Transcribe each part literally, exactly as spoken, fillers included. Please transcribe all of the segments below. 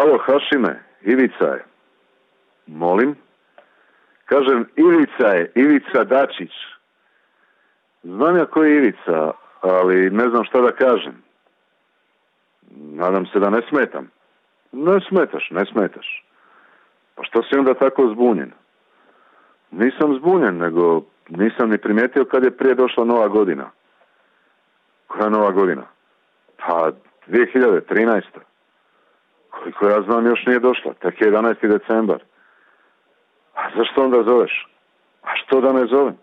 Alo, Hašime, Ivica je. Molim? Kažem, Ivica je, Ivica Dačić. Znam ja ko je Ivica, ali ne znam šta da kažem. Nadam se da ne smetam. Ne smetaš, ne smetaš. Pa što si onda tako zbunjen? Nisam zbunjen, nego nisam ni primijetio kad je prije došla nova godina. Koja nova godina? Pa dvije hiljade trinaesta. Koliko ja znam još nije došla, tek je jedanaesti decembar. A zašto onda zoveš? A što da ne zovem?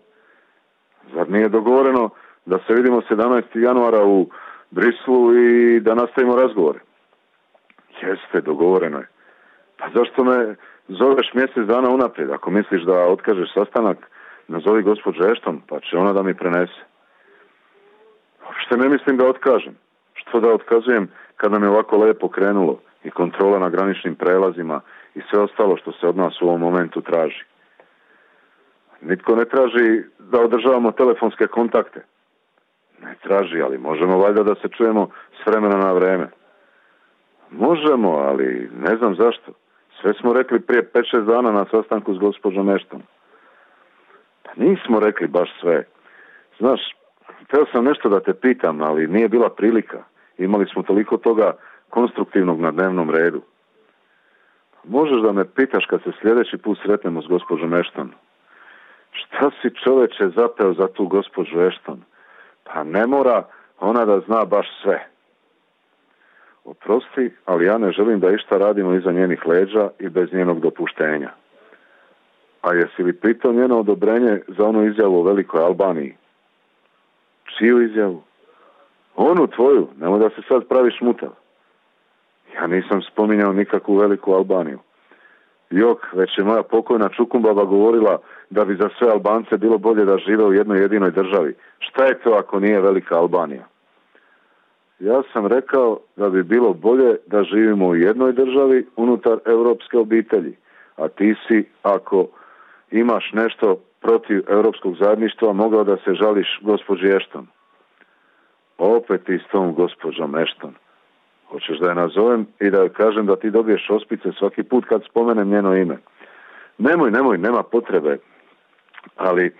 Zar nije dogovoreno da se vidimo sedamnaestog januara u Brislu i da nastavimo razgovore? Jeste, dogovoreno je. Pa zašto me zoveš mjesec dana unaprijed? Ako misliš da otkažeš sastanak, nazovi gospođu Ešton, pa će ona da mi prenese. Uopšte ne mislim da otkažem. Što da otkazujem kad nam je ovako lepo krenulo i kontrola na graničnim prelazima i sve ostalo što se od nas u ovom momentu traži. Nitko ne traži da održavamo telefonske kontakte. Ne traži, ali možemo valjda da se čujemo s vremena na vreme. Možemo, ali ne znam zašto. Sve smo rekli prije pet šest dana na sastanku s gospođom Ešton. Pa nismo rekli baš sve. Znaš, htio sam nešto da te pitam, ali nije bila prilika. Imali smo toliko toga konstruktivnog na dnevnom redu. Možeš da me pitaš kad se sljedeći put sretnemo s gospođom Ešton? Šta si čoveče zapeo za tu gospođu Ešton? Pa ne mora ona da zna baš sve. Oprosti, ali ja ne želim da išta radimo iza njenih leđa i bez njenog dopuštenja. A jesi li pitao njeno odobrenje za onu izjavu o Velikoj Albaniji? Čiju izjavu? Onu tvoju, nemoj da se sad praviš mutav. Ja nisam spominjao nikakvu Veliku Albaniju. Jok, već je moja pokojna Čukumbaba govorila da bi za sve Albance bilo bolje da žive u jednoj jedinoj državi. Šta je to ako nije Velika Albanija? Ja sam rekao da bi bilo bolje da živimo u jednoj državi unutar europske obitelji. A ti si, ako imaš nešto protiv europskog zajedništva, mogao da se žališ gospođi Ešton. Opet ti s tom gospođom Ešton. Hoćeš da je nazovem i da joj kažem da ti dobiješ ospice svaki put kad spomenem njeno ime? Nemoj, nemoj, nema potrebe. Ali,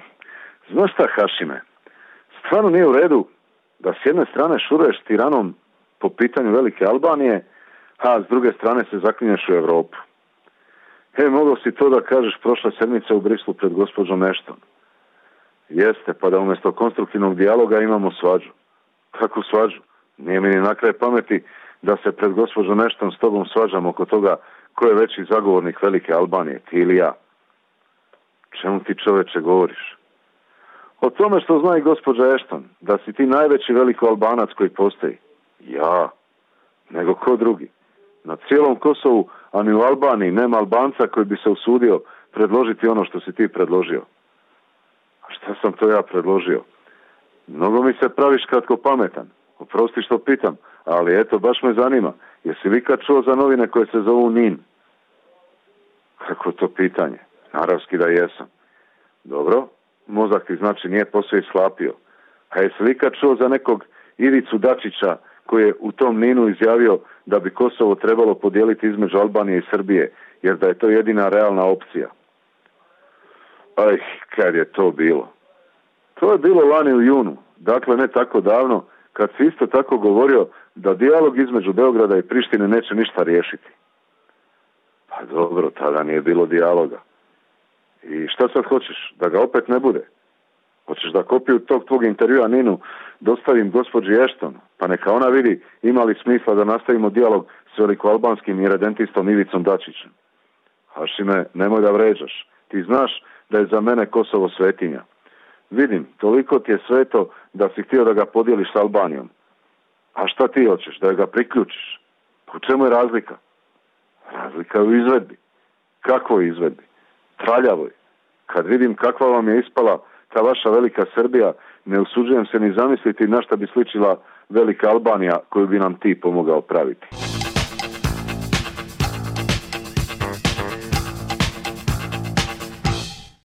znaš šta, Hašime? Stvarno nije u redu da s jedne strane šuruješ tiranom po pitanju Velike Albanije, a s druge strane se zaklinješ u Europu. He, mogao si to da kažeš prošle sedmice u Brislu pred gospođom Ešton. Jeste, pa da umjesto konstruktivnog dijaloga imamo svađu. Kakvu svađu? Nije mi ni na kraj pameti da se pred gospođom Ešton s tobom svađam oko toga ko je veći zagovornik Velike Albanije, ti ili ja. Čemu ti čoveče govoriš? O tome što zna i gospođa Ešton, da si ti najveći Veliko Albanac koji postoji. Ja, nego ko drugi. Na cijelom Kosovu, a ni u Albaniji, nema Albanca koji bi se usudio predložiti ono što si ti predložio. A šta sam to ja predložio? Mnogo mi se praviš kratko pametan. Oprosti što pitam, ali eto, baš me zanima. Jesi li kad čuo za novine koje se zovu Nin? Kako to pitanje? Naravski da jesam. Dobro, mozak ti znači nije posve ishlapio. A jesi li kad čuo za nekog Ivicu Dačića koji je u tom Ninu izjavio da bi Kosovo trebalo podijeliti između Albanije i Srbije, jer da je to jedina realna opcija? Aj, kad je to bilo? To je bilo lani u junu, dakle ne tako davno, kad si isto tako govorio da dijalog između Beograda i Prištine neće ništa riješiti. Pa dobro, tada nije bilo dijaloga. I šta sad hoćeš? Da ga opet ne bude? Hoćeš da kopiju tog tvog intervjua Ninu dostavim gospođi Ešton, pa neka ona vidi ima li smisla da nastavimo dijalog s velikoalbanskim iredentistom Ivicom Dačićem. Hašime, nemoj da vređaš. Ti znaš da je za mene Kosovo svetinja. Vidim, toliko ti je sveto da si htio da ga podijeliš s Albanijom. A šta ti hoćeš? Da ga priključiš? U čemu je razlika? Razlika je u izvedbi. Kakvoj izvedbi? Traljavoj. Kad vidim kakva vam je ispala ta vaša velika Srbija, ne usuđujem se ni zamisliti na šta bi sličila velika Albanija koju bi nam ti pomogao praviti.